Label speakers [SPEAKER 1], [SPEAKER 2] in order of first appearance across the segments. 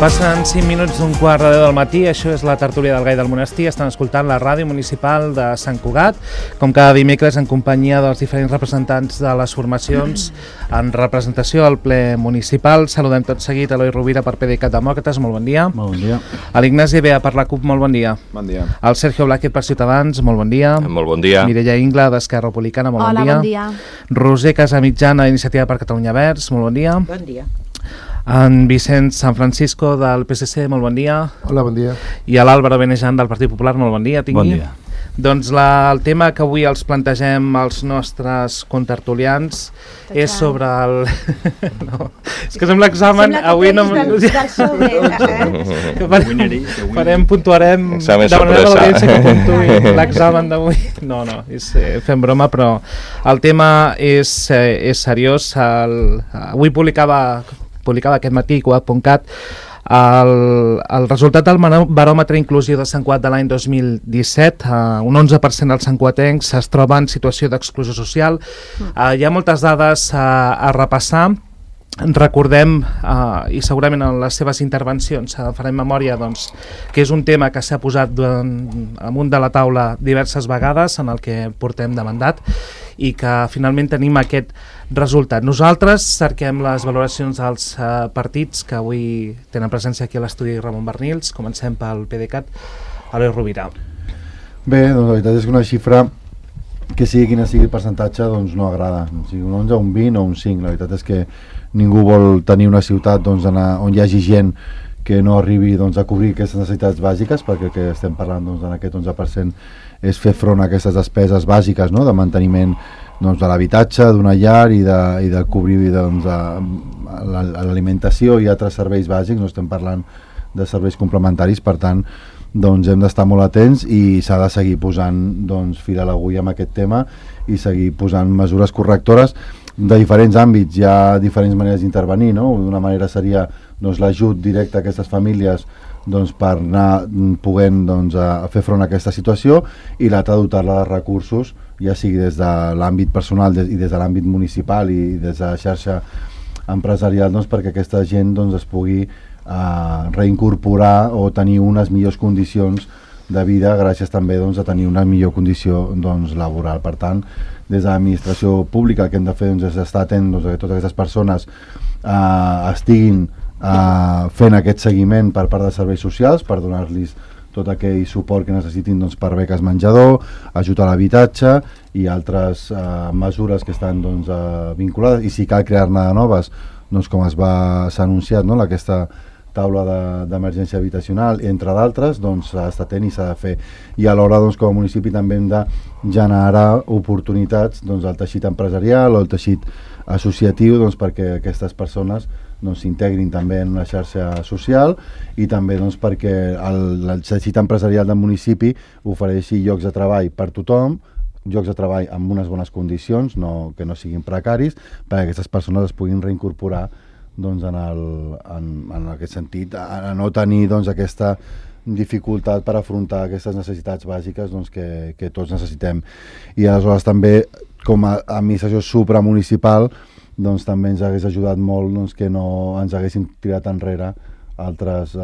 [SPEAKER 1] Passen 5 minuts d'un quart de 10 del matí, això és la tertúlia del Gai del Monestir, estan escoltant la ràdio municipal de Sant Cugat, com cada dimecres en companyia dels diferents representants de les formacions en representació al ple municipal. Saludem tot seguit a Eloi Rovira per PDeCAT Demòcrates, molt bon dia.
[SPEAKER 2] Molt bon dia.
[SPEAKER 1] A l'Ignasi Bea per la CUP, molt bon dia.
[SPEAKER 3] Bon dia.
[SPEAKER 1] Al Sergio Blázquez per Ciutadans, molt bon dia.
[SPEAKER 4] Molt bon dia.
[SPEAKER 1] Mireia Ingla d'Esquerra Republicana, molt bon dia.
[SPEAKER 5] Hola, bon dia.
[SPEAKER 1] Roser Casamitjana d'Iniciativa per Catalunya Verds, molt bon dia.
[SPEAKER 6] Bon dia.
[SPEAKER 1] En Vicent San Francisco del PSC, molt bon dia.
[SPEAKER 2] Hola, bon dia.
[SPEAKER 1] I a l'Àlvaro Benejan del Partit Popular, molt bon dia.
[SPEAKER 2] Bon dia.
[SPEAKER 1] Doncs el tema que avui els plantegem als nostres contertulians és sobre el... no, és que sembla examen, avui no... Puntuarem, demanarem a l'audiència que puntuï l'examen d'avui. No, fem broma, però el tema és seriós. Avui publicava aquest matí Cugat.cat el resultat del baròmetre inclusiu de Sant Cugat de l'any 2017. Un 11% dels santcuatencs es troba en situació d'exclusió social. Hi ha moltes dades a repassar. Recordem, i segurament en les seves intervencions farem memòria, doncs, que és un tema que s'ha posat amunt de la taula diverses vegades en el que portem de mandat i que finalment tenim aquest resultat. Nosaltres cerquem les valoracions dels partits que avui tenen presència aquí a l'estudi Ramon Bernils. Comencem pel PDeCAT. Eloi Rovira.
[SPEAKER 2] Bé, doncs la veritat és que una xifra que sigui quina sigui el percentatge doncs no agrada. O sigui, un 11, un 20 o un 5. La veritat és que ningú vol tenir una ciutat doncs, on hi hagi gent que no arribi doncs, a cobrir aquestes necessitats bàsiques, perquè el que estem parlant doncs, en aquest 11% és fer front a aquestes despeses bàsiques, no?, de manteniment doncs, de l'habitatge, d'una llar i de cobrir doncs, l'alimentació i altres serveis bàsics. No estem parlant de serveis complementaris, per tant doncs, hem d'estar molt atents i s'ha de seguir posant doncs, fil a l'agulla amb aquest tema i seguir posant mesures correctores de diferents àmbits. Hi ha diferents maneres d'intervenir, no? D'una manera seria doncs, l'ajut directe a aquestes famílies doncs, per anar podent doncs, a fer front a aquesta situació, i l'altra dotar-la de recursos, ja sigui des de l'àmbit personal i des de l'àmbit municipal i des de la xarxa empresarial, doncs, perquè aquesta gent doncs, es pugui reincorporar o tenir unes millors condicions de vida gràcies també doncs, a tenir una millor condició doncs, laboral. Per tant, des de l'administració pública el que hem de fer doncs, és estar atent doncs, que totes aquestes persones estiguin fent aquest seguiment per part de serveis socials per donar-los tot aquell suport que necessitin doncs, per beques menjador, ajut a l'habitatge i altres mesures que estan doncs, vinculades, i si cal crear-ne de noves, doncs, com s'ha anunciat, no? Aquesta taula d'emergència habitacional, entre d'altres, doncs s'ha d'estar atent i s'ha de fer. I alhora, doncs, com a municipi també hem de generar oportunitats doncs, al teixit empresarial o al teixit associatiu doncs, perquè aquestes persones doncs, s'integrin també en una xarxa social i també doncs, perquè el teixit empresarial del municipi ofereixi llocs de treball per tothom, llocs de treball amb unes bones condicions, que no siguin precaris, perquè aquestes persones es puguin reincorporar doncs, en aquest sentit, a no tenir doncs, aquesta dificultat per afrontar aquestes necessitats bàsiques doncs, que tots necessitem. I aleshores també, com a administració supramunicipal, doncs, també ens hagués ajudat molt doncs, que no ens haguessin tirat enrere altres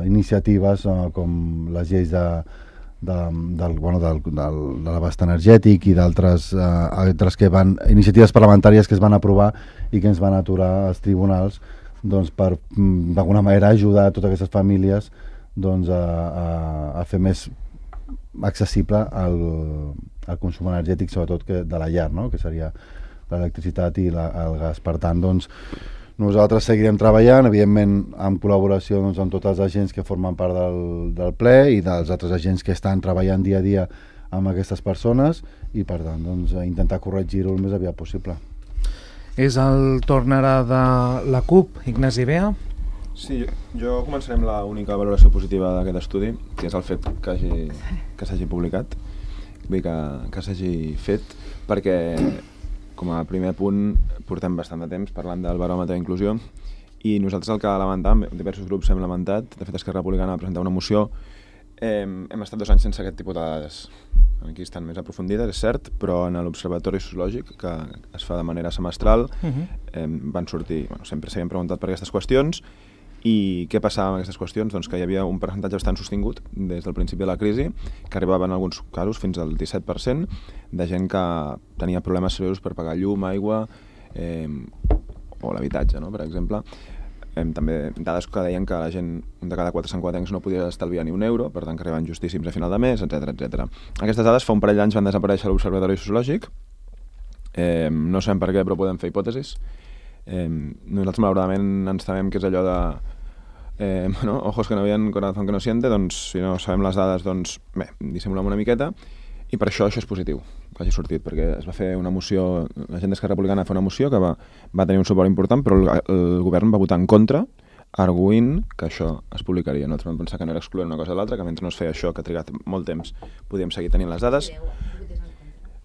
[SPEAKER 2] iniciatives com les lleis de l'abast energètic i d'altres iniciatives parlamentàries que es van aprovar i que ens van aturar als tribunals doncs, per d'alguna manera ajudar a totes aquestes famílies doncs, a fer més accessible el consum energètic, sobretot de la llar, no? Que seria l'electricitat i el gas. Per tant, doncs, nosaltres seguirem treballant, evidentment en col·laboració doncs, amb tots els agents que formen part del ple i dels altres agents que estan treballant dia a dia amb aquestes persones i per tant doncs, intentar corregir-ho el més aviat possible.
[SPEAKER 1] És el torn ara de la CUP, Ignasi Bea.
[SPEAKER 3] Sí, jo començaré amb l'única valoració positiva d'aquest estudi, que és el fet que s'hagi publicat, vull dir que s'hagi fet, perquè com a primer punt portem bastant de temps parlant del baròmetre d'inclusió i nosaltres el que lamentàvem, diversos grups hem lamentat, de fet Esquerra Republicana va presentar una moció, hem estat 2 anys sense aquest tipus de dades. Aquí estan més aprofundides, és cert, però en l'Observatori Sociològic, que es fa de manera semestral, van sortir, sempre s'havien preguntat per aquestes qüestions I què passava amb aquestes qüestions? Doncs que hi havia un percentatge bastant sostingut des del principi de la crisi, que arribava en alguns casos fins al 17%, de gent que tenia problemes seriosos per pagar llum, aigua o l'habitatge, no? Per exemple. També dades que deien que la gent, un de cada 4 santcugatencs no podia estalviar ni €1, per tant que arribaven justíssims a final de mes, etc. Aquestes dades fa un parell d'anys van desaparèixer a l'Observatori Sociològic. No sabem per què, però podem fer hipòtesis. Nosaltres malauradament ens temem que és allò de ojos que no veien, corazón que no siente, doncs si no sabem les dades, doncs bé, dissimulem una miqueta, i per això és positiu que hagi sortit, perquè es va fer una moció, la gent d'Esquerra Republicana va fer una moció que va tenir un suport important, però el govern va votar en contra, arguint que això es publicaria. Nosaltres vam pensar que no era excloent una cosa o l'altra, que mentre no es feia això, que ha trigat molt temps, podíem seguir tenint les dades.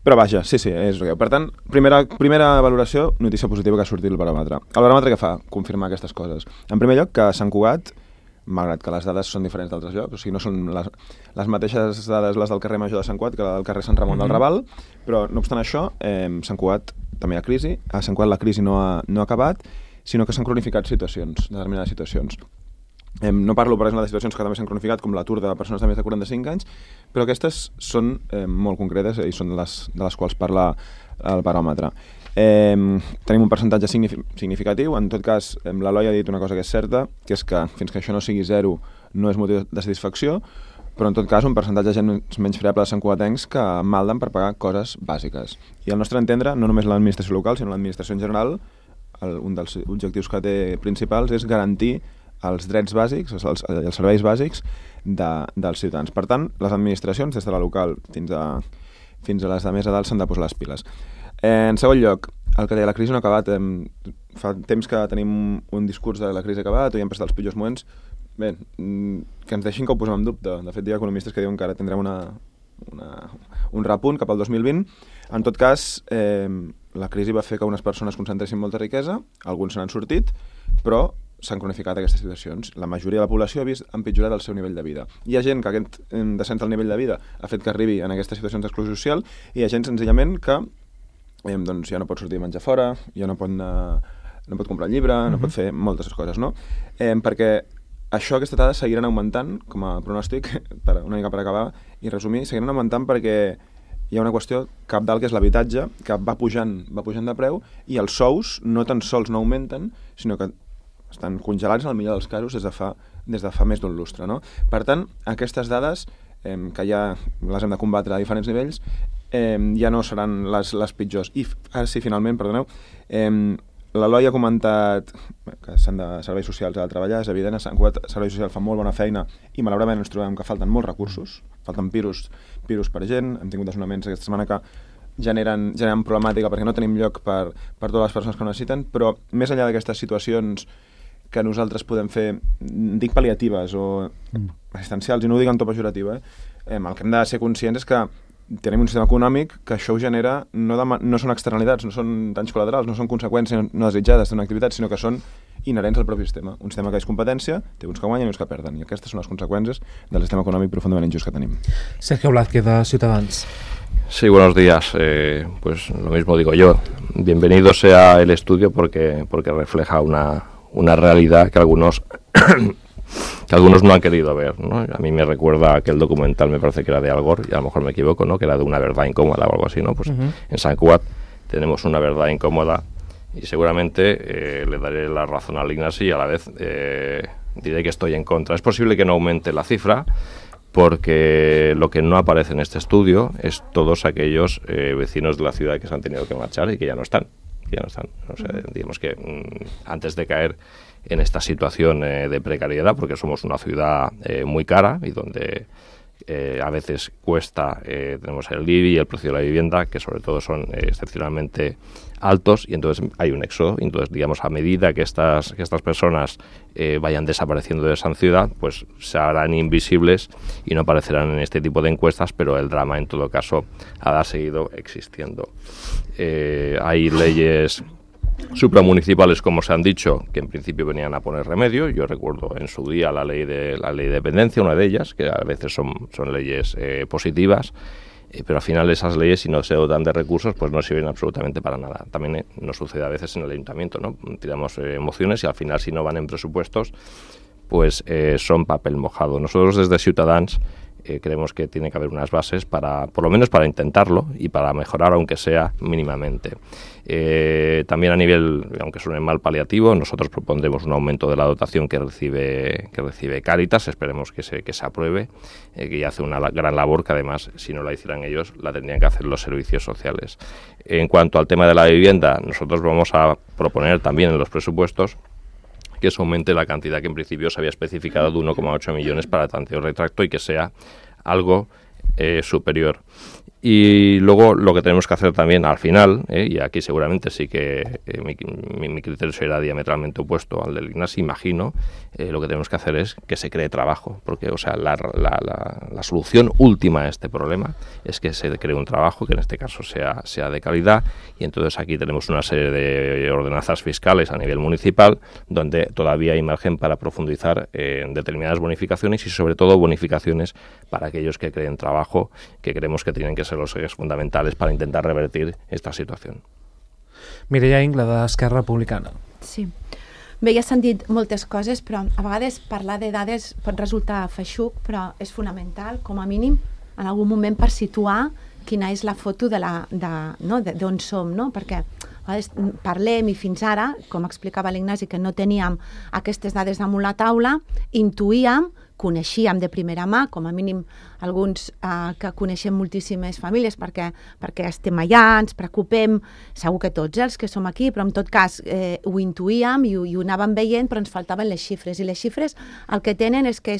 [SPEAKER 3] Però vaja, sí, és greu. Per tant, primera valoració, notícia positiva que ha sortit el baròmetre. El baròmetre què fa? Confirmar aquestes coses. En primer lloc, que Sant Cugat, malgrat que les dades són diferents d'altres llocs, o sigui, no són les mateixes dades les del carrer Major de Sant Cugat que la del carrer Sant Ramon del Raval, però no obstant això, Sant Cugat també hi ha crisi. A Sant Cugat la crisi no ha acabat, sinó que s'han cronificat determinades situacions. No parlo, per exemple, de situacions que també s'han cronificat, com l'atur de persones de més de 45 anys, però aquestes són molt concretes i són de les quals parla el baròmetre. Tenim un percentatge significatiu. En tot cas, l'Eloi ha dit una cosa que és certa, que és que fins que això no sigui 0 no és motiu de satisfacció, però en tot cas un percentatge de gent menys fiable de santcugatencs que malden per pagar coses bàsiques. I al nostre entendre, no només l'administració local, sinó l'administració en general, un dels objectius que té principals és garantir els drets bàsics, els serveis bàsics dels ciutadans. Per tant, les administracions, des de la local fins a les de més a dalt, s'han de posar les piles. En segon lloc, el que deia, la crisi no ha acabat. Fa temps que tenim un discurs de la crisi acabat, o hi hem passat els pitjors moments. Bé, que ens deixin que ho posem en dubte. De fet, hi ha economistes que diuen que ara tindrem un repunt cap al 2020. En tot cas, la crisi va fer que unes persones concentressin molta riquesa, alguns se n'han sortit, però s'han cronificat aquestes situacions. La majoria de la població ha vist empitjorat el seu nivell de vida. Hi ha gent que aquest descens del nivell de vida ha fet que arribi en aquestes situacions d'exclusió social, i hi ha gent senzillament que doncs ja no pot sortir a menjar fora, ja no pot comprar un llibre, no pot fer moltes coses, no? Perquè aquestes dades seguiran augmentant, com a pronòstic, una mica per acabar i resumir, seguiran augmentant perquè hi ha una qüestió cabdal, que és l'habitatge, que va pujant de preu, i els sous no tan sols no augmenten, sinó que estan congelats en el millor dels casos des de fa més d'un lustre, no? Per tant, aquestes dades, que ja les hem de combatre a diferents nivells, ja no seran les pitjors. I ara sí, finalment, perdoneu, l'Eloi ha comentat que s'han de serveis socials a treballar, és evident, a Sant Cugat serveis socials fan molt bona feina i malauradament ens trobem que falten molts recursos, falten piros per gent, hem tingut desnonaments aquesta setmana que generen problemàtica perquè no tenim lloc per totes les persones que ho necessiten, però més enllà d'aquestes situacions que nosaltres podem fer, dic pal·liatives o assistencials, i no ho dic en to pejoratiu, el que hem de ser conscients és que tenim un sistema econòmic que això ho genera, no són externalitats, no són danys col·laterals, no són conseqüències no desitjades d'una activitat, sinó que són inherents al propi sistema. Un sistema que és competència, té uns que guanyen i uns que perden, i aquestes són les conseqüències del sistema econòmic profundament injust que tenim.
[SPEAKER 1] Sergio Blázquez, de Ciutadans.
[SPEAKER 4] Sí, buenos días. Pues lo mismo digo yo. Bienvenido sea el estudio porque refleja una realidad que algunos no han querido ver, ¿no? A mí me recuerda aquel documental, me parece que era de Al Gore, y a lo mejor me equivoco, ¿no? Que era de una verdad incómoda o algo así, ¿no? Pues en Sant Cugat tenemos una verdad incómoda y seguramente le daré la razón al Ignasi y a la vez diré que estoy en contra. Es posible que no aumente la cifra, porque lo que no aparece en este estudio es todos aquellos vecinos de la ciudad que se han tenido que marchar y que ya no están. O sea, digamos que antes de caer en esta situación de precariedad, porque somos una ciudad muy cara y donde a veces cuesta, tenemos el IBI y el precio de la vivienda, que sobre todo son excepcionalmente altos, y entonces hay un éxodo, y entonces digamos a medida que estas personas vayan desapareciendo de esa ciudad, pues se harán invisibles y no aparecerán en este tipo de encuestas, pero el drama en todo caso ha seguido existiendo. Hay leyes supramunicipales, como se han dicho, que en principio venían a poner remedio. Yo recuerdo en su día la ley de dependencia, una de ellas, que a veces son leyes positivas, pero al final esas leyes, si no se dotan de recursos, pues no sirven absolutamente para nada. También nos sucede a veces en el ayuntamiento, ¿no? Tiramos mociones y al final, si no van en presupuestos, pues son papel mojado. Nosotros desde Ciutadans creemos que tiene que haber unas bases para, por lo menos para intentarlo y para mejorar, aunque sea mínimamente. También a nivel, aunque suene mal, paliativo, nosotros propondremos un aumento de la dotación que recibe Cáritas. Esperemos que se apruebe, que ya hace una gran labor que además, si no la hicieran ellos, la tendrían que hacer los servicios sociales. En cuanto al tema de la vivienda, nosotros vamos a proponer también en los presupuestos que se aumente la cantidad que en principio se había especificado de 1,8 millones para tanteo retracto y que sea algo superior. Y luego lo que tenemos que hacer también al final, y aquí seguramente sí que mi criterio será diametralmente opuesto al del Ignasi, imagino, lo que tenemos que hacer es que se cree trabajo, porque o sea, la solución última a este problema es que se cree un trabajo que en este caso sea de calidad, y entonces aquí tenemos una serie de ordenanzas fiscales a nivel municipal donde todavía hay margen para profundizar en determinadas bonificaciones y sobre todo bonificaciones para aquellos que creen trabajo, que creemos que tienen que ser los ejes fundamentales para intentar revertir esta situació.
[SPEAKER 1] Mireia Ingla, d'Esquerra Republicana.
[SPEAKER 5] Sí. Bé, ja s'han dit moltes coses, però a vegades parlar de dades pot resultar feixuc, però és fonamental, com a mínim, en algun moment per situar quina és la foto d'on som, no? Perquè a vegades parlem i fins ara, com explicava l'Ignasi, que no teníem aquestes dades damunt la taula, intuïem, coneixíem de primera mà, com a mínim alguns que coneixem moltíssimes famílies perquè estem allà, ens preocupem, segur que tots els que som aquí, però en tot cas ho intuïem i ho anàvem veient, però ens faltaven les xifres, i les xifres el que tenen és que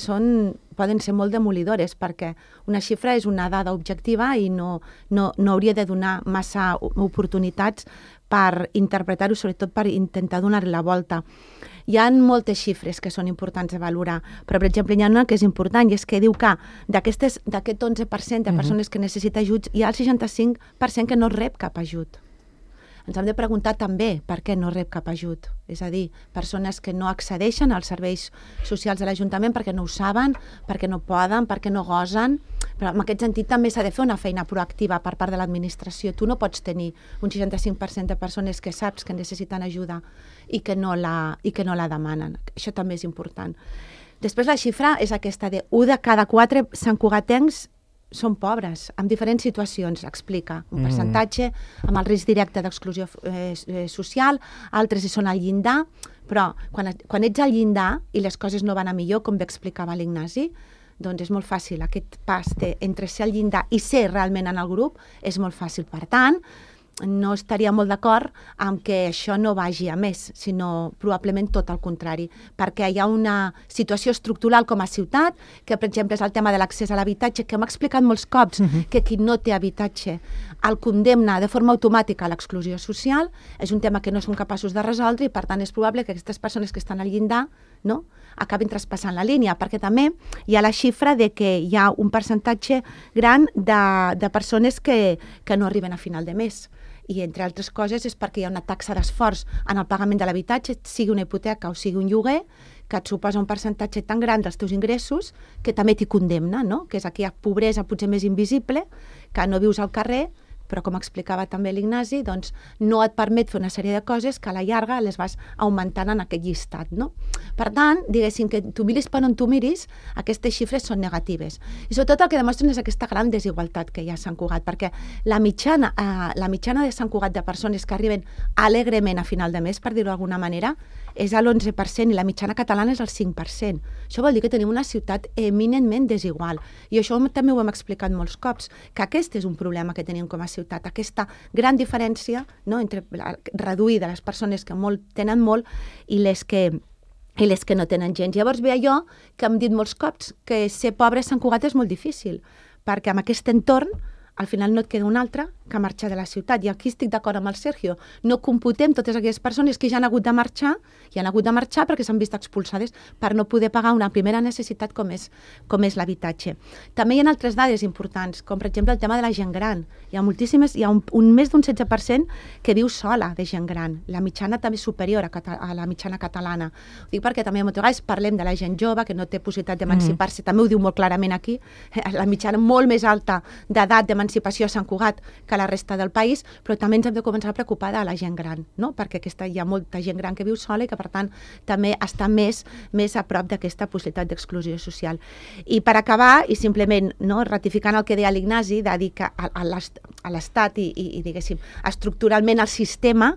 [SPEAKER 5] poden ser molt demolidores, perquè una xifra és una dada objectiva i no hauria de donar massa oportunitats per interpretar-ho, sobretot per intentar donar-li la volta. Hi ha moltes xifres que són importants de valorar, però, per exemple, hi ha una que és important, i és que diu que d'aquest 11% de persones que necessita ajuts, hi ha el 65% que no rep cap ajut. Ens hem de preguntar també per què no rep cap ajut. És a dir, persones que no accedeixen als serveis socials de l'Ajuntament perquè no ho saben, perquè no poden, perquè no gosen. Però en aquest sentit també s'ha de fer una feina proactiva per part de l'administració. Tu no pots tenir un 65% de persones que saps que necessiten ajuda i que no la demanen. Això també és important. Després la xifra és aquesta de 1 de cada 4 santcugatencs són pobres, en diferents situacions, explica. Un percentatge amb el risc directe d'exclusió social, altres hi són al llindar, però quan ets al llindar i les coses no van a millor, com bé explicava l'Ignasi, doncs és molt fàcil. Aquest pas entre ser al llindar i ser realment en el grup és molt fàcil. Per tant, no estaria molt d'acord amb que això no vagi a més, sinó probablement tot el contrari, perquè hi ha una situació estructural com a ciutat, que per exemple és el tema de l'accés a l'habitatge, que hem explicat molts cops, que qui no té habitatge el condemna de forma automàtica a l'exclusió social, és un tema que no som capaços de resoldre i per tant és probable que aquestes persones que estan al llindar acabin traspassant la línia, perquè també hi ha la xifra de que hi ha un percentatge gran de persones que no arriben a final de mes. I, entre altres coses, és perquè hi ha una taxa d'esforç en el pagament de l'habitatge, sigui una hipoteca o sigui un lloguer, que et suposa un percentatge tan gran dels teus ingressos que també t'hi condemna, no? Que és aquella pobresa potser més invisible, que no vius al carrer, però com explicava també l'Ignasi, doncs no et permet fer una sèrie de coses que a la llarga les vas augmentant en aquest llistat, no? Per tant, diguéssim que tu miris per on tu miris, aquestes xifres són negatives. I sobretot el que demostren és aquesta gran desigualtat que hi ha a Sant Cugat, perquè la mitjana de Sant Cugat de persones que arriben alegrement a final de mes, per dir-ho d'alguna manera, és a l'11% i la mitjana catalana és el 5%. Això vol dir que tenim una ciutat eminentment desigual. I això també ho hem explicat molts cops, que aquest és un problema que tenim com a ciutat, aquesta gran diferència entre reduir de les persones que tenen molt i les que no tenen gens. Llavors ve allò que hem dit molts cops, que ser pobre a Sant Cugat és molt difícil, perquè amb aquest entorn al final no et queda un altre que marxar de la ciutat. I aquí estic d'acord amb el Sergio. No computem totes aquelles persones que ja han hagut de marxar, perquè s'han vist expulsades per no poder pagar una primera necessitat com és l'habitatge. També hi ha altres dades importants, com per exemple el tema de la gent gran. Hi ha més d'un 16% que viu sola de gent gran. La mitjana també és superior a la mitjana catalana. Ho dic perquè també moltes vegades parlem de la gent jove que no té possibilitat d'emancipar-se. També ho diu molt clarament aquí. La mitjana molt més alta d'edat d'emancipar d'emancipació a Sant Cugat que a la resta del país, però també ens hem de començar a preocupar de la gent gran, no? Perquè hi ha molta gent gran que viu sola i que, per tant, també està més a prop d'aquesta possibilitat d'exclusió social. I per acabar, i simplement ratificant el que deia l'Ignasi, de dir que a l'Estat i diguéssim, estructuralment el sistema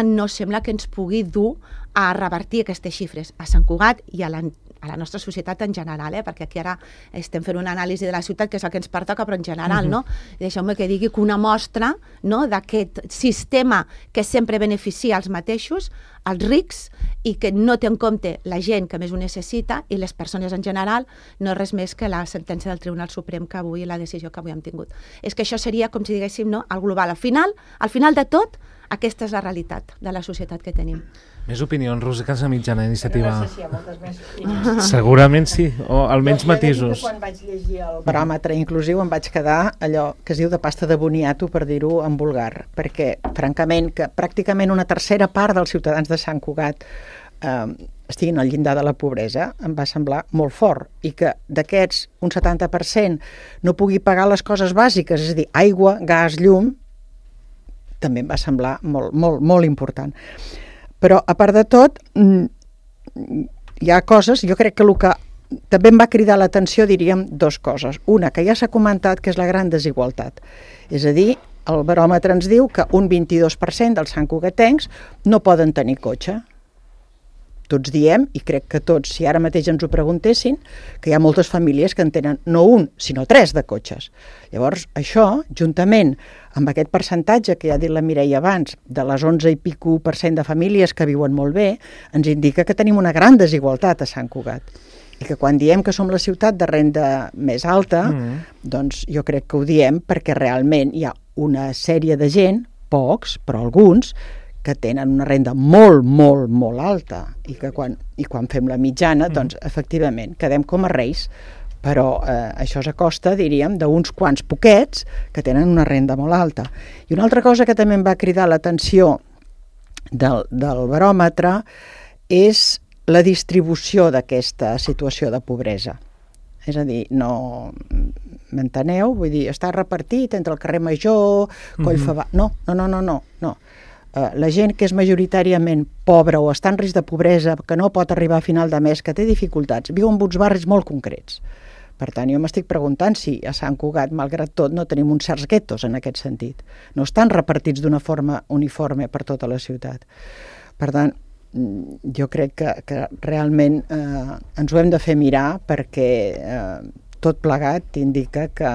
[SPEAKER 5] no sembla que ens pugui dur a revertir aquestes xifres a Sant Cugat i a la nostra societat en general, perquè aquí ara estem fent una anàlisi de la ciutat, que és el que ens pertoca, però en general, no? I deixeu-me que digui que una mostra d'aquest sistema que sempre beneficia els mateixos, els rics, i que no té en compte la gent que més ho necessita i les persones en general, no és res més que la sentència del Tribunal Suprem que avui, la decisió que avui hem tingut. És que això seria, com si diguéssim, el global. Al final de tot, aquesta és la realitat de la societat que tenim.
[SPEAKER 1] Més opinions, Roser Casamitjana, Iniciativa.
[SPEAKER 6] No sé si hi ha moltes més opinions.
[SPEAKER 1] Segurament sí, o almenys matisos.
[SPEAKER 6] Quan vaig llegir el baròmetre inclusiu em vaig quedar allò que es diu de pasta de boniato, per dir-ho en vulgar, perquè, francament, que pràcticament una tercera part dels ciutadans de Sant Cugat estiguin al llindar de la pobresa, em va semblar molt fort, i que d'aquests un 70% no pugui pagar les coses bàsiques, és a dir, aigua, gas, llum, també em va semblar molt, molt, molt important. Però, a part de tot, hi ha coses, jo crec que el que també em va cridar l'atenció, diríem, dues coses. Una, que ja s'ha comentat, que és la gran desigualtat. És a dir, el baròmetre ens diu que un 22% dels santcugatencs no poden tenir cotxe. Tots diem, i crec que tots, si ara mateix ens ho preguntessin, que hi ha moltes famílies que en tenen no un, sinó 3 de cotxes. Llavors, això, juntament amb aquest percentatge que ja ha dit la Mireia abans, de les 11 i pico % de famílies que viuen molt bé, ens indica que tenim una gran desigualtat a Sant Cugat. I que quan diem que som la ciutat de renda més alta, doncs jo crec que ho diem perquè realment hi ha una sèrie de gent, pocs, però alguns, que tenen una renda molt, molt, molt alta i quan fem la mitjana, doncs, efectivament, quedem com a reis, però això és a costa, diríem, d'uns quants poquets que tenen una renda molt alta. I una altra cosa que també em va cridar l'atenció del baròmetre és la distribució d'aquesta situació de pobresa. És a dir, no... M'enteneu? Vull dir, està repartit entre el carrer Major, Collfabà... No. La gent que és majoritàriament pobra o està en risc de pobresa, que no pot arribar a final de mes, que té dificultats, viu en uns barris molt concrets. Per tant, jo m'estic preguntant si a Sant Cugat, malgrat tot, no tenim uns certs guetos en aquest sentit. No estan repartits d'una forma uniforme per tota la ciutat. Per tant, jo crec que realment ens ho hem de fer mirar perquè tot plegat indica que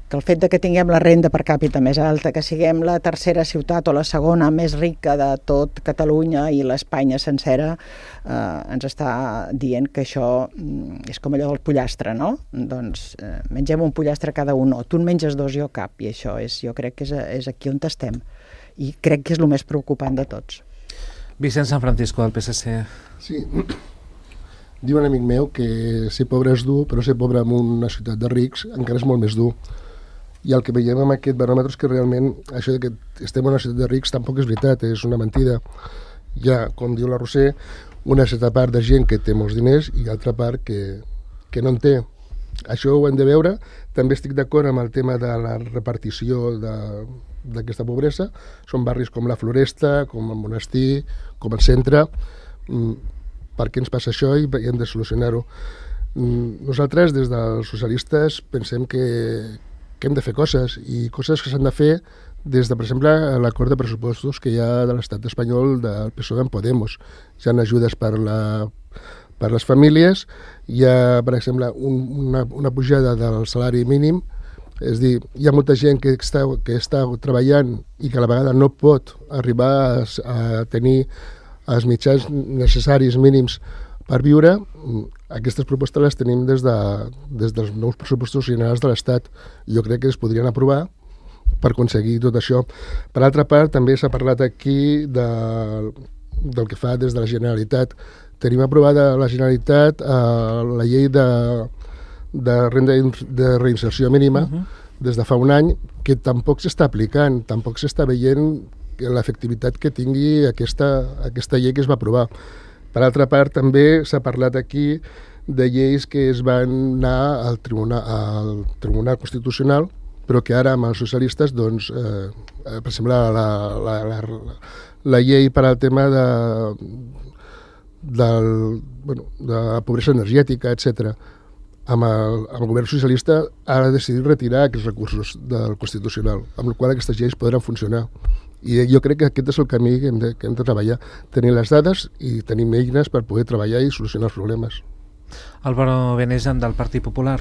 [SPEAKER 6] el fet de que tinguem la renda per càpita més alta, que siguem la tercera ciutat o la segona més rica de tot Catalunya i l'Espanya sencera, ens està dient que això és com allò del pollastre, no? Doncs mengem un pollastre cada un, no. Tu en menges 2 i jo cap, i això jo crec que és aquí on estem. I crec que és el més preocupant de tots.
[SPEAKER 1] Vicent San Francisco, del PSC.
[SPEAKER 7] Sí, diu un amic meu que ser pobre és dur, però ser pobre en una ciutat de rics encara és molt més dur. I el que veiem amb aquest baròmetre és que realment això que estem en una ciutat de rics tampoc és veritat, és una mentida. Hi ha, com diu la Roser, una certa part de gent que té molts diners i altra part que no en té. Això ho hem de veure. També estic d'acord amb el tema de la repartició d'aquesta pobresa. Són barris com la Floresta, com el Monestir, com el centre. Per què ens passa això i hem de solucionar-ho? Nosaltres, des dels socialistes, pensem que hem de fer coses, i coses que s'han de fer des de, per exemple, l'acord de pressupostos que hi ha de l'estat espanyol del PSOE amb Podemos. Hi ha ajudes per les famílies, hi ha, per exemple, una pujada del salari mínim, és a dir, hi ha molta gent que està treballant i que a la vegada no pot arribar a tenir els mitjans necessaris mínims per viure. Aquestes propostes les tenim des dels nous pressupostos generals de l'Estat. Jo crec que es podrien aprovar per aconseguir tot això. Per altra part, també s'ha parlat aquí del que fa des de la Generalitat. Tenim aprovada a la Generalitat la llei de renda de reinserció mínima des de fa un any, que tampoc s'està aplicant, tampoc s'està veient l'efectivitat que tingui aquesta llei que es va aprovar. Per altra part, també s'ha parlat aquí de lleis que es van anar al Tribunal Constitucional però que ara amb els socialistes, doncs, per exemple, la llei per al tema de la pobresa energètica, etc. Amb el govern socialista ha decidit retirar aquests recursos del Constitucional, amb la qual aquestes lleis podran funcionar. I jo crec que aquest és el camí que hem de treballar, tenir les dades i tenim eines per poder treballar i solucionar els problemes.
[SPEAKER 1] Álvaro Benejan, del Partit Popular.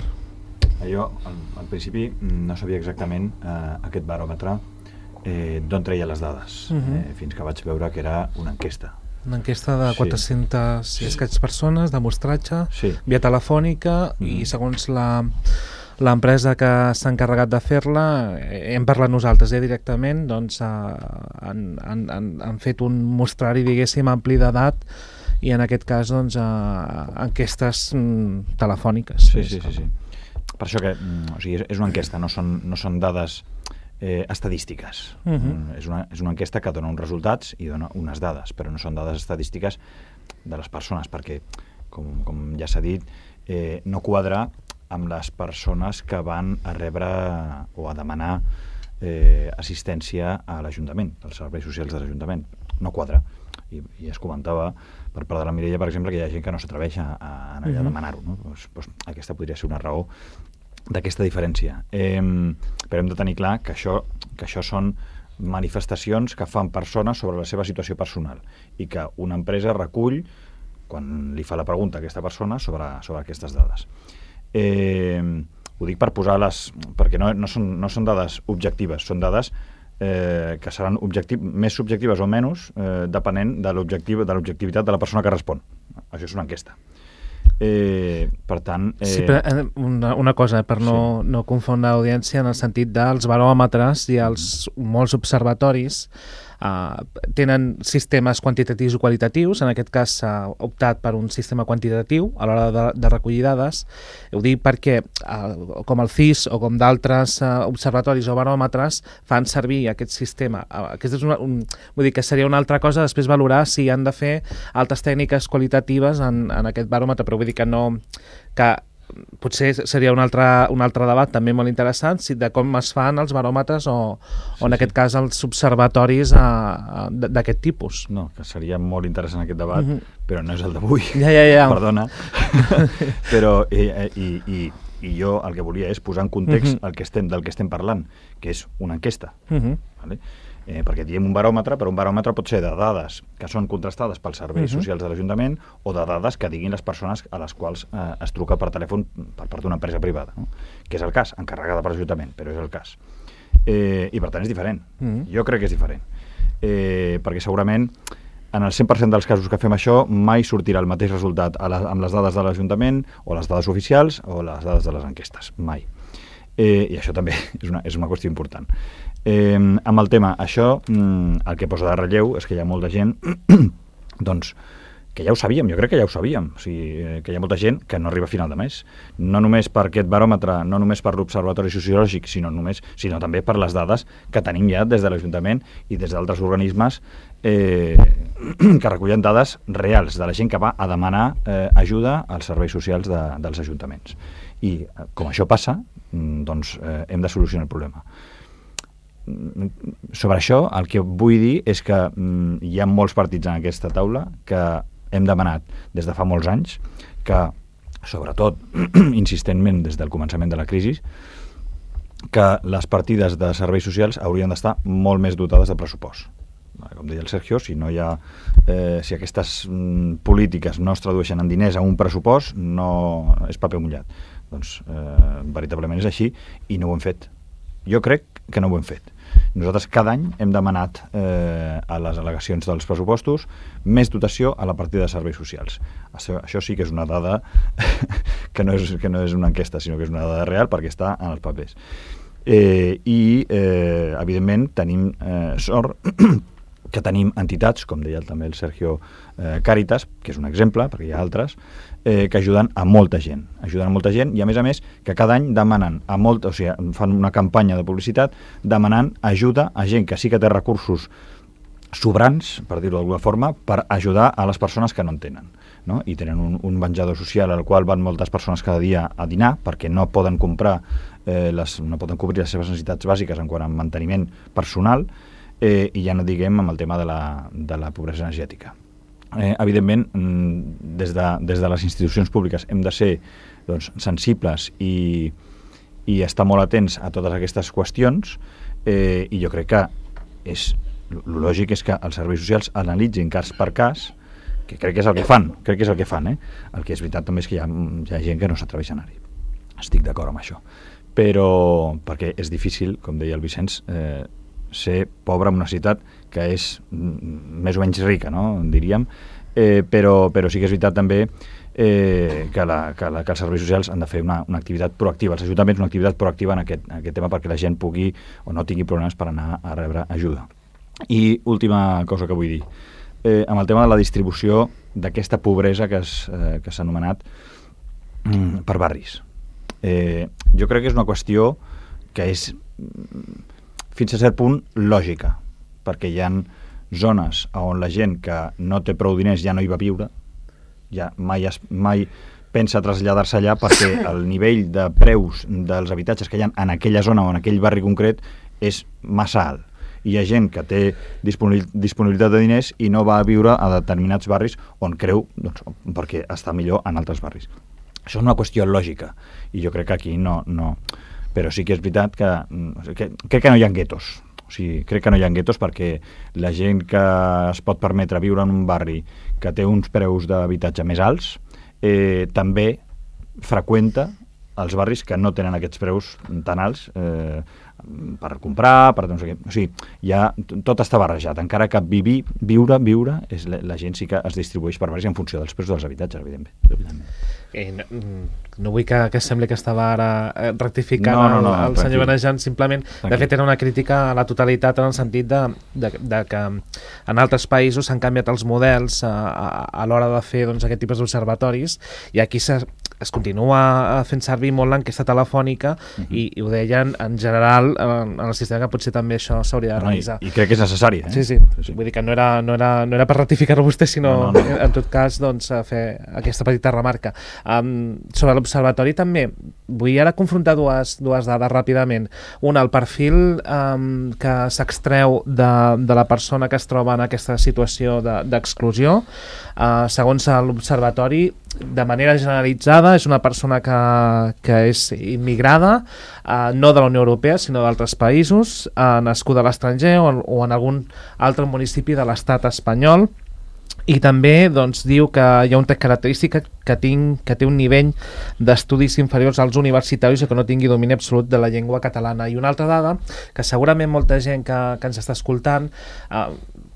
[SPEAKER 8] Jo, al principi, no sabia exactament aquest baròmetre d'on treia les dades, fins que vaig veure que era una enquesta.
[SPEAKER 1] Una enquesta de 400 i escaig persones, de mostratge, via telefònica, i segons l'empresa que s'ha encarregat de fer-la, hem parlat nosaltres directament, doncs han fet un mostrari, diguéssim, ampli d'edat, i en aquest cas, doncs, enquestes telefòniques.
[SPEAKER 8] Sí. Per això que és una enquesta, no són dades estadístiques. És una enquesta que dona uns resultats i dona unes dades, però no són dades estadístiques de les persones, perquè, com ja s'ha dit, no quadra amb les persones que van a rebre o a demanar assistència a l'Ajuntament, als serveis socials de l'Ajuntament. No quadra. I es comentava per part de la Mireia, per exemple, que hi ha gent que no s'atreveix a anar allà a demanar-ho. No? Doncs aquesta podria ser una raó d'aquesta diferència. Però hem de tenir clar que això són manifestacions que fan persones sobre la seva situació personal i que una empresa recull quan li fa la pregunta a aquesta persona sobre aquestes dades. Ho dic per posar-les, perquè no són dades objectives, són dades que seran més subjectives o menys depenent de l'objectivitat de la persona que respon. Això és una enquesta. Per tant...
[SPEAKER 1] Sí, però una cosa, per no confondre l'audiència, en el sentit dels baròmetres i els molts observatoris tenen sistemes quantitatius i qualitatius. En aquest cas s'ha optat per un sistema quantitatiu a l'hora de recollir dades. Ho dic perquè com el CIS o com d'altres observatoris o baròmetres fan servir aquest sistema. Aquesta és vull dir que seria una altra cosa després valorar si han de fer altres tècniques qualitatives en aquest baròmetre, però vull dir que no... que potser seria un altre debat també molt interessant de com es fan els baròmetres o en aquest cas els observatoris d'aquest tipus.
[SPEAKER 8] No, que seria molt interessant aquest debat, però no és el d'avui.
[SPEAKER 1] Ja.
[SPEAKER 8] Perdona. Però i jo el que volia és posar en context del que estem parlant, que és una enquesta. Vale? Perquè diem un baròmetre, però un baròmetre pot ser de dades que són contrastades pels serveis socials de l'Ajuntament o de dades que diguin les persones a les quals es truca per telèfon per part d'una empresa privada, no? Que és el cas, encarregada per l'Ajuntament, però és el cas. I per tant és diferent. Jo crec que és diferent. Perquè segurament en el 100% dels casos que fem això mai sortirà el mateix resultat amb les dades de l'Ajuntament o les dades oficials o les dades de les enquestes. Mai. I això també és una qüestió important. Amb el tema, això, el que posa de relleu és que hi ha molta gent doncs, que ja ho sabíem, jo crec que ja ho sabíem, o sigui, que hi ha molta gent que no arriba a final de mes, no només per aquest baròmetre, no només per l'Observatori Sociològic, sinó també per les dades que tenim ja des de l'Ajuntament i des d'altres organismes que recullen dades reals de la gent que va a demanar ajuda als serveis socials dels ajuntaments. I com això passa, doncs hem de solucionar el problema. Sobre això, el que vull dir és que hi ha molts partits en aquesta taula que hem demanat des de fa molts anys que, sobretot, insistentment des del començament de la crisi, que les partides de serveis socials haurien d'estar molt més dotades de pressupost. Com deia el Sergio, si aquestes polítiques no es tradueixen en diners a un pressupost, no és paper mullat. Doncs veritablement és així i no ho hem fet. Jo crec que no ho hem fet. Nosaltres cada any hem demanat a les al·legacions dels pressupostos més dotació a la partida de serveis socials. Això sí que és una dada que no és una enquesta, sinó que és una dada real perquè està en els papers. Evidentment, tenim sort que tenim entitats, com deia també el Sergio, Càritas, que és un exemple, perquè hi ha altres, que ajuden a molta gent. Ajuden a molta gent i, a més, que cada any demanen fan una campanya de publicitat demanant ajuda a gent que sí que té recursos sobrants, per dir-ho d'alguna forma, per ajudar a les persones que no en tenen. No? I tenen un menjador social al qual van moltes persones cada dia a dinar perquè no poden comprar no poden cobrir les seves necessitats bàsiques en quant a manteniment personal, i ja no diguem amb el tema de la pobresa energètica. Evidentment, des de les institucions públiques hem de ser sensibles i estar molt atents a totes aquestes qüestions, i jo crec que el lògic és que els serveis socials analitzin cas per cas, que crec que és el que fan, El que és veritat també és que hi ha gent que no s'atreveix a anar-hi. Estic d'acord amb això. Però, perquè és difícil, com deia el Vicenç, ser pobre en una ciutat que és més o menys rica, no? Diríem, però sí que és veritat també que els serveis socials han de fer una activitat proactiva, els ajuntaments una activitat proactiva en aquest tema perquè la gent pugui o no tingui problemes per anar a rebre ajuda. I última cosa que vull dir, amb el tema de la distribució d'aquesta pobresa que s'ha anomenat per barris. Jo crec que és una qüestió que és fins a cert punt lògica, perquè hi ha zones on la gent que no té prou diners ja no hi va viure, ja mai pensa traslladar-se allà perquè el nivell de preus dels habitatges que hi ha en aquella zona o en aquell barri concret és massa alt. Hi ha gent que té disponibilitat de diners i no va a viure a determinats barris on creu, perquè està millor en altres barris. Això és una qüestió lògica, i jo crec que aquí no. Però sí que és veritat que crec que no hi ha guetos. O sigui, crec que no hi ha guetos perquè la gent que es pot permetre viure en un barri que té uns preus d'habitatge més alts també freqüenta els barris que no tenen aquests preus tan alts per comprar, per no sé què. O sigui, tot està barrejat. Encara que viure, la gent sí que es distribueix per barris en funció dels preus dels habitatges, evidentment.
[SPEAKER 1] No vull que sembli que estava ara rectificant el senyor Benejan, simplement, de fet era una crítica a la totalitat en el sentit de que en altres països s'han canviat els models a l'hora de fer aquest tipus d'observatoris, i aquí es continua fent servir molt l'enquesta telefònica i ho deien en general en el sistema, que potser també això s'hauria de revisar.
[SPEAKER 8] I crec que és necessari.
[SPEAKER 1] Sí. Vull dir que no era per ratificar-ho vostè, sinó en tot cas fer aquesta petita remarca. Sobre l'observatori també vull ara confrontar dues dades ràpidament. Una, el perfil que s'extreu de la persona que es troba en aquesta situació d'exclusió. Segons l'observatori, de manera generalitzada, és una persona que és immigrada, no de la Unió Europea, sinó d'altres països, nascuda a l'estranger o en algun altre municipi de l'estat espanyol. I també diu que hi ha una característica que té un nivell d'estudis inferiors als universitaris i que no tingui domini absolut de la llengua catalana. I una altra dada, que segurament molta gent que ens està escoltant,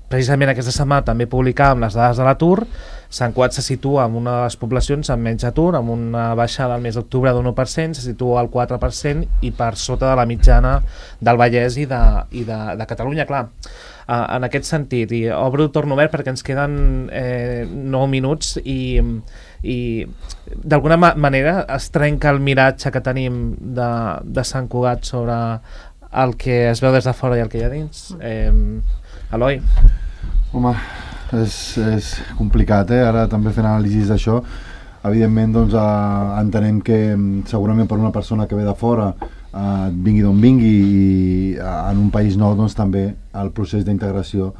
[SPEAKER 1] precisament aquesta setmana també publicàvem les dades de l'atur. Sant Cugat se situa en una de les poblacions amb menys atur, amb una baixada al mes d'octubre d'1%, se situa al 4% i per sota de la mitjana del Vallès i de Catalunya, clar. En aquest sentit, i torno obert perquè ens queden 9 minuts i d'alguna manera es trenca el miratge que tenim de Sant Cugat sobre el que es veu des de fora i el que hi ha dins. Eloi?
[SPEAKER 2] Home, és complicat, ara també fent anàlisis d'això. Evidentment, entenem que segurament per una persona que ve de fora, vingui d'on vingui, i en un país nou també el procés d'integració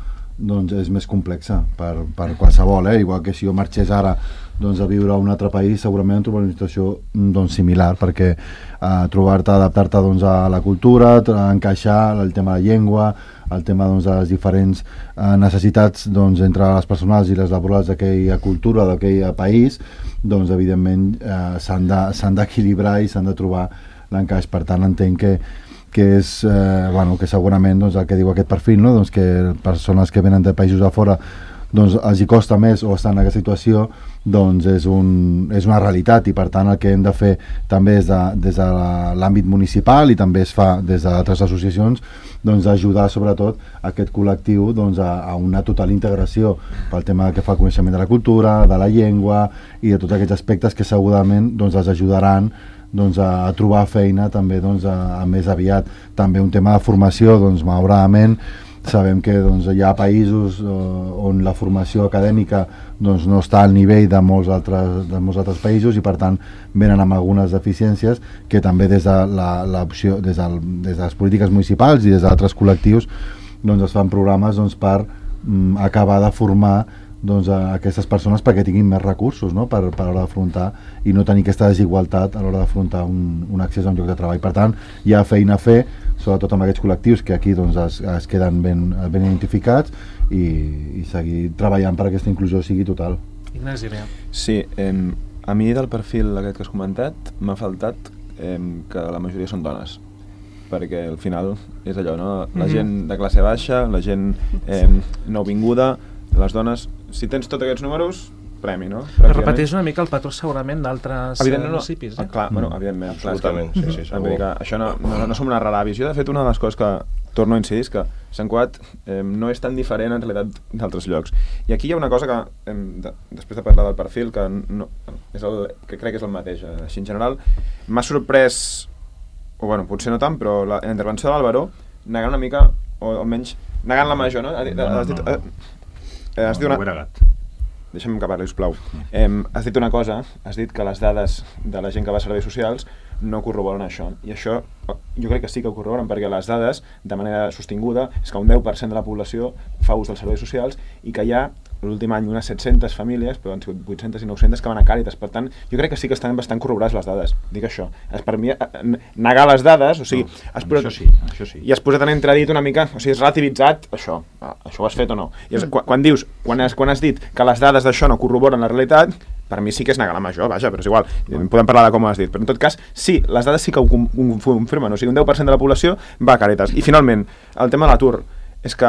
[SPEAKER 2] és més complexa per qualsevol, igual que si jo marxés ara a viure a un altre país, segurament em trobaré una situació similar, perquè adaptar-te a la cultura, encaixar el tema de la llengua, el tema de les diferents necessitats entre les personals i les laborals d'aquella cultura, d'aquell país, evidentment s'han d'equilibrar i s'han de trobar l'encaix. Per tant, entenc que és que segurament el que diu aquest perfil, que persones que venen de països de fora els hi costa més o estan en aquesta situació, és una realitat, i per tant el que hem de fer també des de l'àmbit municipal i també es fa des d'altres associacions, ajudar sobretot aquest col·lectiu a una total integració pel tema que fa el coneixement de la cultura, de la llengua i de tots aquests aspectes que segurament els ajudaran a trobar feina també més aviat. També un tema de formació, malauradament sabem que doncs, hi ha països on la formació acadèmica doncs, no està al nivell de molts altres països i per tant venen amb algunes deficiències que també des de les polítiques municipals i des d'altres col·lectius doncs, es fan programes doncs, per acabar de formar doncs, a aquestes persones perquè tinguin més recursos, no? per a l'hora d'afrontar i no tenir aquesta desigualtat a l'hora d'afrontar un accés a un lloc de treball. Per tant, hi ha feina a fer, sobretot amb aquests col·lectius que aquí doncs, es queden ben identificats i seguir treballant per aquesta inclusió sigui total.
[SPEAKER 1] Ignasi, bé.
[SPEAKER 3] Sí, a mi del perfil aquest que has comentat m'ha faltat que la majoria són dones, perquè al final és allò, no? La gent de classe baixa, la gent nouvinguda, les dones, si tens tots aquests números, premi, no?
[SPEAKER 1] Però repeteix una mica el patró segurament d'altres municipis, eh?
[SPEAKER 3] Clar, bueno, evidentment.
[SPEAKER 4] Absolutament, sí, segur.
[SPEAKER 3] Això no som una rara visió. De fet, una de les coses que torno a incidir és que Sant Cugat no és tan diferent en realitat d'altres llocs. I aquí hi ha una cosa que, després de parlar del perfil, que crec que és el mateix, així en general, m'ha sorprès, o bueno, potser no tant, però la intervenció de l'Álvaro negant una mica, o almenys negant la major, no? Has dit una... Deixa'm que parli, sisplau. Has dit una cosa, has dit que les dades de la gent que va a serveis socials no corroboren això. I això jo crec que sí que ho corroboren, perquè les dades, de manera sostinguda, és que un 10% de la població fa ús dels serveis socials i que hi ha, l'últim any, unes 700 famílies, però han sigut 800 i 900 que van a Càritas. Per tant, jo crec que sí que estan bastant corroborades les dades. Dic això. Per mi, negar les dades, o sigui...
[SPEAKER 8] No, això sí.
[SPEAKER 3] I has posat en entredit una mica, o sigui, has relativitzat això. Això ho has fet o no? I quan dius, quan has dit que les dades d'això no corroboren la realitat, per mi sí que és negar la major, vaja, però és igual. Podem parlar de com ho has dit. Però en tot cas, sí, les dades sí que ho confirmen. O sigui, un 10% de la població va a Càritas. I finalment, el tema de l'atur. És que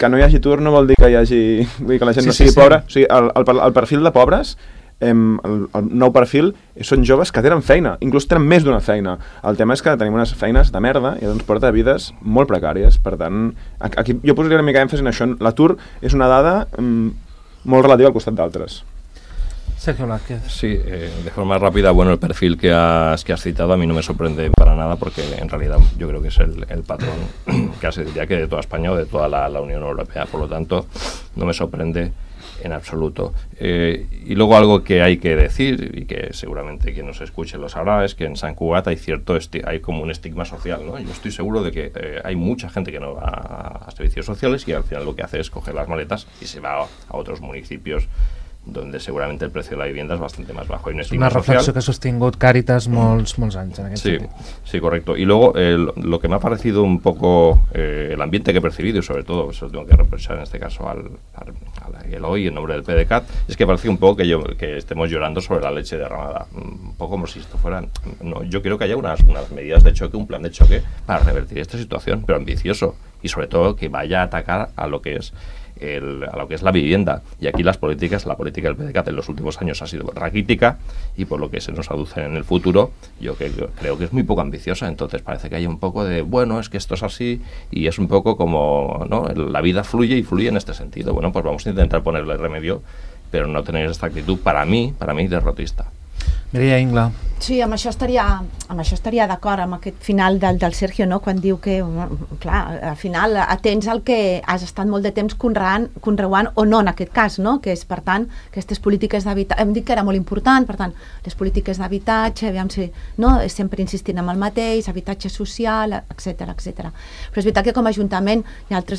[SPEAKER 3] no hi hagi atur no vol dir que hi hagi... Vull dir que la gent no sigui pobra. O sigui, el perfil de pobres, el nou perfil, són joves que tenen feina, inclús tenen més d'una feina. El tema és que tenim unes feines de merda i ens porta a vides molt precàries. Per tant, aquí jo posaria una mica èmfasi en això. L'atur és una dada molt relativa al costat d'altres.
[SPEAKER 1] Sergio Blázquez.
[SPEAKER 4] Sí, de forma rápida, bueno, el perfil que has citado a mí no me sorprende para nada porque en realidad yo creo que es el patrón casi diría que de toda España o de toda la Unión Europea, por lo tanto no me sorprende en absoluto. Y luego algo que hay que decir y que seguramente quien nos escuche lo sabrá es que en Sant Cugat hay como un estigma social, ¿no? Yo estoy seguro de que hay mucha gente que no va a servicios sociales y al final lo que hace es coger las maletas y se va a otros municipios donde seguramente el precio de la vivienda es bastante más bajo.
[SPEAKER 1] Es una reflexión que ha sostingut Càritas molts anys en aquest sentit.
[SPEAKER 4] Sí, correcto. Y luego lo que me ha parecido un poco el ambiente que he percibido, y sobre todo, eso tengo que reprochar en este caso al Eloy en nombre del PDeCAT, es que parece un poco que estemos llorando sobre la leche derramada. Un poco como si esto fuera... No, yo quiero que haya unas medidas de choque, un plan de choque para revertir esta situación, pero ambicioso. Y sobre todo que vaya a atacar a lo que es la vivienda. Y aquí la política del PDeCAT en los últimos años ha sido raquítica y por lo que se nos aduce en el futuro yo creo que es muy poco ambiciosa. Entonces parece que hay un poco de, bueno, es que esto es así y es un poco como, ¿no? La vida fluye y fluye en este sentido. Bueno, pues vamos a intentar ponerle remedio, pero no tener esta actitud, para mí derrotista.
[SPEAKER 1] Mireia Ingla.
[SPEAKER 5] Sí, amb això estaria d'acord amb aquest final del Sergio, no? Quan diu que, clar, al final atens el que has estat molt de temps conreuant o no en aquest cas, no? Que és, per tant, aquestes polítiques d'habitatge, hem dit que era molt important, per tant, les polítiques d'habitatge, aviam si, no? Sempre insistint en el mateix, habitatge social, etc. Però és veritat que com a Ajuntament hi ha altres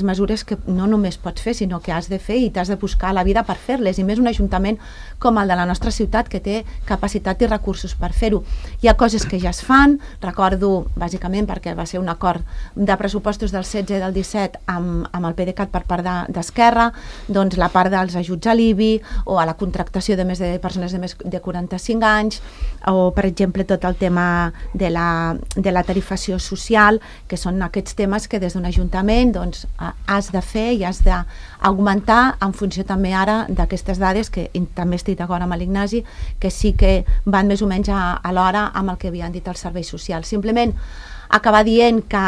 [SPEAKER 5] mesures que no només pots fer, sinó que has de fer i t'has de buscar la vida per fer-les, i més un Ajuntament com el de la nostra ciutat que té capacitat i recursos per fer-ho. Hi ha coses que ja es fan, recordo bàsicament perquè va ser un acord de pressupostos del 16 i del 17 amb el PDeCAT per part d'Esquerra, doncs la part dels ajuts a l'IBI o a la contractació de més de persones de més de 45 anys o per exemple tot el tema de la tarifació social, que són aquests temes que des d'un ajuntament doncs, has de fer i has d'augmentar en funció també ara d'aquestes dades que també estic d'acord amb l'Ignasi, que sí que van més o menys a l'hora amb el que havien dit els serveis socials. Simplement acabar dient que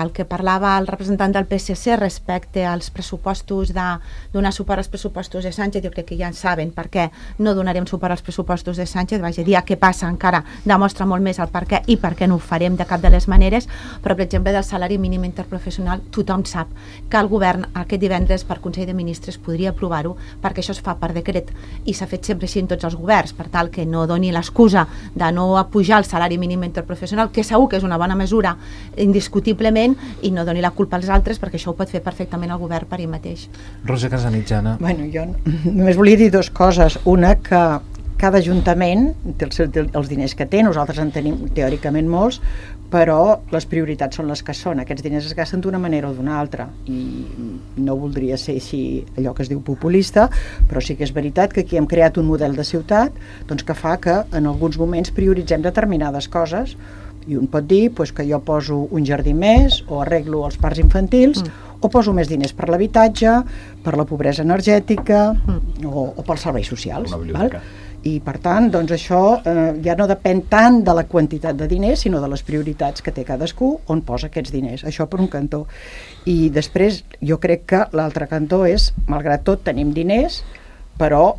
[SPEAKER 5] el que parlava el representant del PSC respecte als pressupostos de donar suport als pressupostos de Sánchez, jo crec que ja en saben per què no donarem suport als pressupostos de Sánchez, vaig a dir què passa encara demostra molt més el per què i per què no ho farem de cap de les maneres, però per exemple del salari mínim interprofessional tothom sap que el govern aquest divendres per Consell de Ministres podria aprovar-ho perquè això es fa per decret i s'ha fet sempre així en tots els governs, per tal que no doni l'excusa de no apujar el salari mínim interprofessional, que segur que és una bona mesura indiscutiblement, i no doni la culpa als altres perquè això ho pot fer perfectament el govern per ell mateix.
[SPEAKER 1] Rosa Casanitjana.
[SPEAKER 6] Bueno, jo només volia dir dues coses. Una, que cada ajuntament té els diners que té, nosaltres en tenim teòricament molts, però les prioritats són les que són. Aquests diners es gasten d'una manera o d'una altra i no voldria ser així allò que es diu populista, però sí que és veritat que aquí hem creat un model de ciutat doncs, que fa que en alguns moments prioritzem determinades coses i un pot dir doncs, que jo poso un jardí més o arreglo els parcs infantils o poso més diners per l'habitatge, per la pobresa energètica o pels serveis socials. Val? I per tant, doncs això ja no depèn tant de la quantitat de diners, sinó de les prioritats que té cadascú on posa aquests diners. Això per un cantó. I després jo crec que l'altre cantó és, malgrat tot tenim diners, però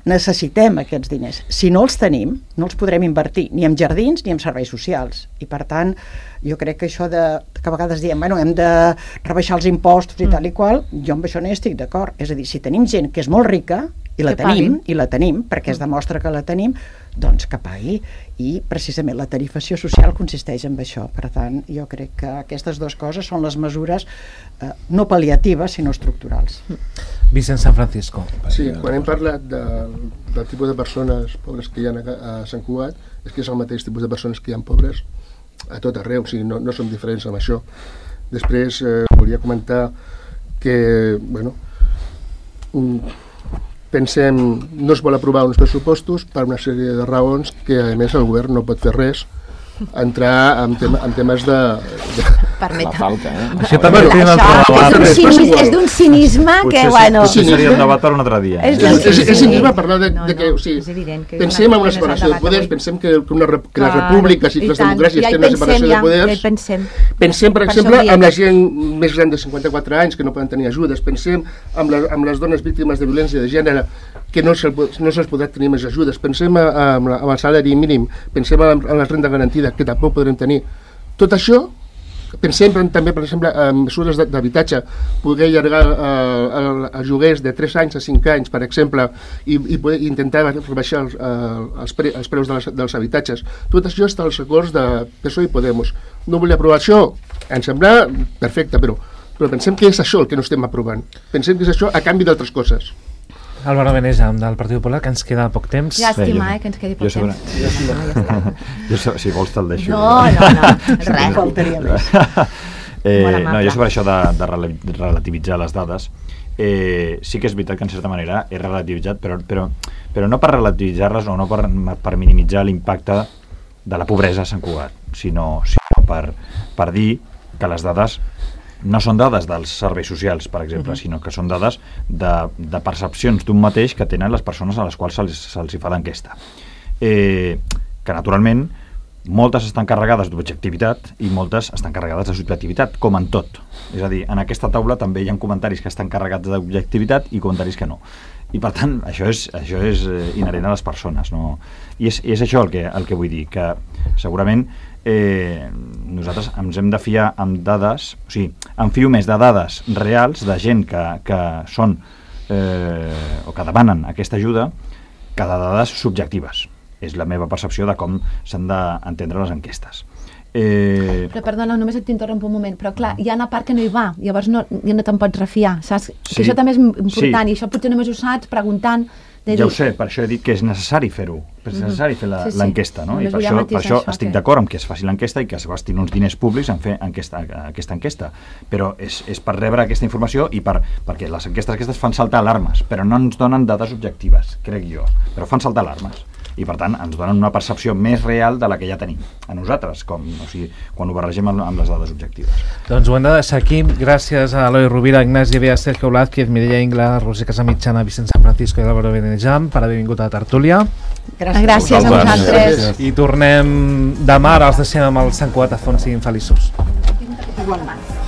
[SPEAKER 6] necessitem aquests diners. Si no els tenim, no els podrem invertir ni en jardins ni en serveis socials. I per tant, jo crec que això que a vegades diem, bueno, hem de rebaixar els impostos i tal i qual, jo amb això no hi estic d'acord. És a dir, si tenim gent que és molt rica, i la tenim, perquè es demostra que la tenim, doncs que pagui. I precisament la tarifació social consisteix en això. Per tant, jo crec que aquestes dues coses són les mesures no pal·liatives, sinó estructurals.
[SPEAKER 1] Vicent San Francisco.
[SPEAKER 7] Sí, quan hem parlat del tipus de persones pobres que hi ha a Sant Cugat, és que és el mateix tipus de persones que hi ha pobres a tot arreu, o sigui, no som diferents amb això. Després volia comentar que, bueno, pensem, no es vol aprovar uns pressupostos per una sèrie de raons que a més el govern no pot fer res, entrar en temes de
[SPEAKER 5] la
[SPEAKER 3] falca,
[SPEAKER 1] Això també
[SPEAKER 5] és d'un cinisme que, bueno...
[SPEAKER 8] Potser seria un debat per un altre dia.
[SPEAKER 7] És cinisme parlar de que, o sigui, pensem en una separació de poders, pensem que les repúbliques i les democràcies tenen una separació de poders. Pensem, per exemple, amb la gent més gran de 54 anys que no poden tenir ajudes, pensem amb les dones víctimes de violència de gènere que no se'ls podrà tenir més ajudes, pensem en el salari mínim, pensem en la renda garantida, que tampoc podrem tenir. Tot això, pensem també, per exemple, en mesures d'habitatge, poder allargar els lloguers de 3 anys a 5 anys, per exemple, i poder intentar rebaixar els preus dels habitatges. Tot això està als acords de PSOE i Podemos. No volia aprovar això, ens sembla perfecte, però pensem que és això el que no estem aprovant. Pensem que és això a canvi d'altres coses.
[SPEAKER 1] Álvaro Benesa, del Partit Popular, que ens queda poc temps.
[SPEAKER 5] Llàstima, que ens quedi poc temps.
[SPEAKER 8] Si vols te'l deixo.
[SPEAKER 5] No, res.
[SPEAKER 6] Faltaria més.
[SPEAKER 8] Jo sobre això de relativitzar les dades, sí que és veritat que en certa manera he relativitzat, però no per relativitzar-les o no per minimitzar l'impacte de la pobresa a Sant Cugat, sinó per dir que les dades no són dades dels serveis socials, per exemple, sinó que són dades de percepcions d'un mateix que tenen les persones a les quals se'ls fa l'enquesta. Que, naturalment, moltes estan carregades d'objectivitat i moltes estan carregades de subjectivitat, com en tot. És a dir, en aquesta taula també hi ha comentaris que estan carregats d'objectivitat i comentaris que no. I, per tant, això és inherent a les persones, no? I és això el que vull dir, que segurament nosaltres ens hem de fiar amb dades, o sigui, em fio més de dades reals de gent que són o que demanen aquesta ajuda que de dades subjectives. És la meva percepció de com s'han d'entendre les enquestes.
[SPEAKER 5] Però perdona, només et interrompo un moment, però clar, hi ha una part que no hi va, llavors no te'n pots refiar, saps? Sí, això també és important, i això potser només ho saps preguntant.
[SPEAKER 8] Ja ho sé, per això he dit que és necessari fer-ho, és necessari fer l'enquesta, no? I per això estic d'acord amb que es faci l'enquesta i que es gastin uns diners públics en fer aquesta enquesta, però és per rebre aquesta informació i perquè les enquestes aquestes fan saltar alarmes, però no ens donen dades objectives, crec jo, però fan saltar alarmes. i per tant ens donen una percepció més real de la que ja tenim a nosaltres, quan ho barregem amb les dades objectives.
[SPEAKER 1] Doncs ho hem de deixar aquí. Gràcies a Eloi Rovira, Ignasi Bea, Sergio Blázquez, Mireia Ingla, Roser Casamitjana, Vicent San Francisco i Álvaro Benejam per haver vingut a la tertúlia.
[SPEAKER 5] Gràcies a vosaltres.
[SPEAKER 1] I tornem demà, ara els deixem amb el Sant Cugat a Font. Siguin feliços.
[SPEAKER 5] Igualment.